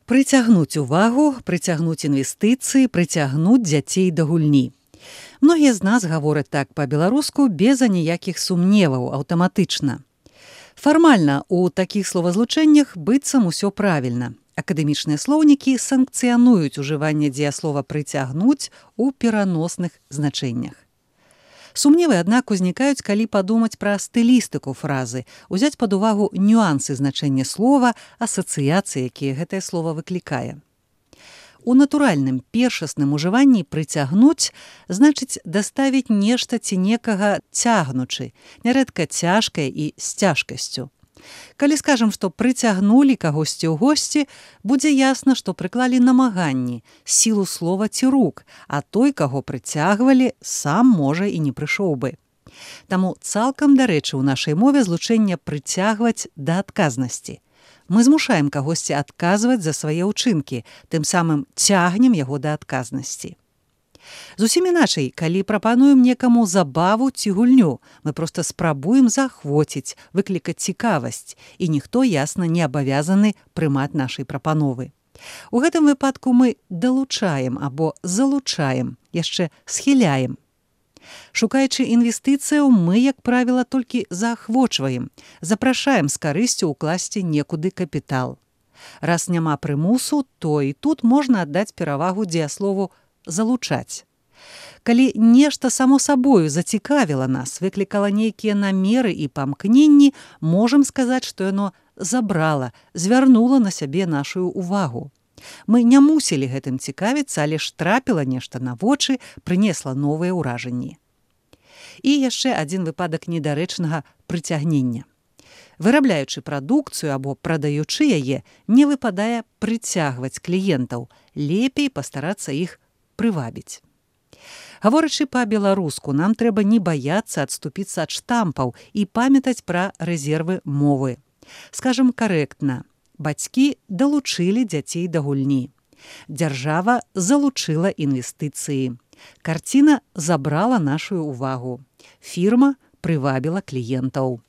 Прыцягнуць увагу, прыцягнуць інвестыцыі, прыцягнуць дзяцей да гульні. Многія з нас гавораць так па-беларуску без аніякіх сумневаў, аўтаматычна. Фармальна ў такіх словазлучэннях быццам усё правільна. Акадэмічныя слоўнікі санкцыянуюць ужыванне дзеяслова «прыцягнуць» у пераносных значэннях. Сумневы, аднак, узнікаюць, калі падумаць пра стылістыку фразы, узяць пад увагу нюансы значэння слова, асацыяцыі, якія гэтае слова выклікае. У натуральным першасным ужыванні «прыцягнуць» значыць даставіць нешта ці некага цягнучы, нярэдка цяжкае і з цяжкасцю. Калі скажам, што прыцягнулі кагосьці ў госці, будзе ясна, што прыклалі намаганні, сілу слова ці рук, а той, каго прыцягвалі, сам, можа, і не прыйшоў бы. Таму цалкам дарэчы ў нашай мове злучэнне «прыцягваць» да адказнасці. Мы змушаем кагосьці адказваць за свае ўчынкі, тым самым цягнем яго да адказнасці. Зусім іначай, калі прапануем некаму забаву ці гульню, мы проста спрабуем заахвоціць, выклікаць цікавасць, і ніхто, ясна, не абавязаны прымаць нашай прапановы. У гэтым выпадку мы далучаем або залучаем, яшчэ схіляем. Шукаючы інвестыцыяў, мы, як правіла, толькі заахвочваем, запрашаем з карысцю ўкласці некуды капітал. Раз няма прымусу, то і тут можна аддаць перавагу дзеяслову залучаць. Калі нешта само сабою зацікавіла нас, выклікала нейкія намеры і памкненні, можам сказаць, што яно забрала, звярнула на сябе нашу увагу. Мы не мусілі гэтым цікавіцца, але ж трапіла нешта на вочы, прынесла новыя ўражанні. І яшчэ адзін выпадак недарэчнага прыцягнення. Вырабляючы прадукцыю або прадаючы яе, не выпадае прыцягваць кліентаў, лепей пастарацца іх прывабіць. Гаворачы па-беларуску, нам трэба не баяцца адступіцца ад штампаў і памятаць пра рэзервы мовы. Скажам карэктна, бацькі далучылі дзяцей да гульні. Дзяржава залучыла інвестыцыі. Карціна забрала нашу увагу. Фірма прывабіла кліентаў.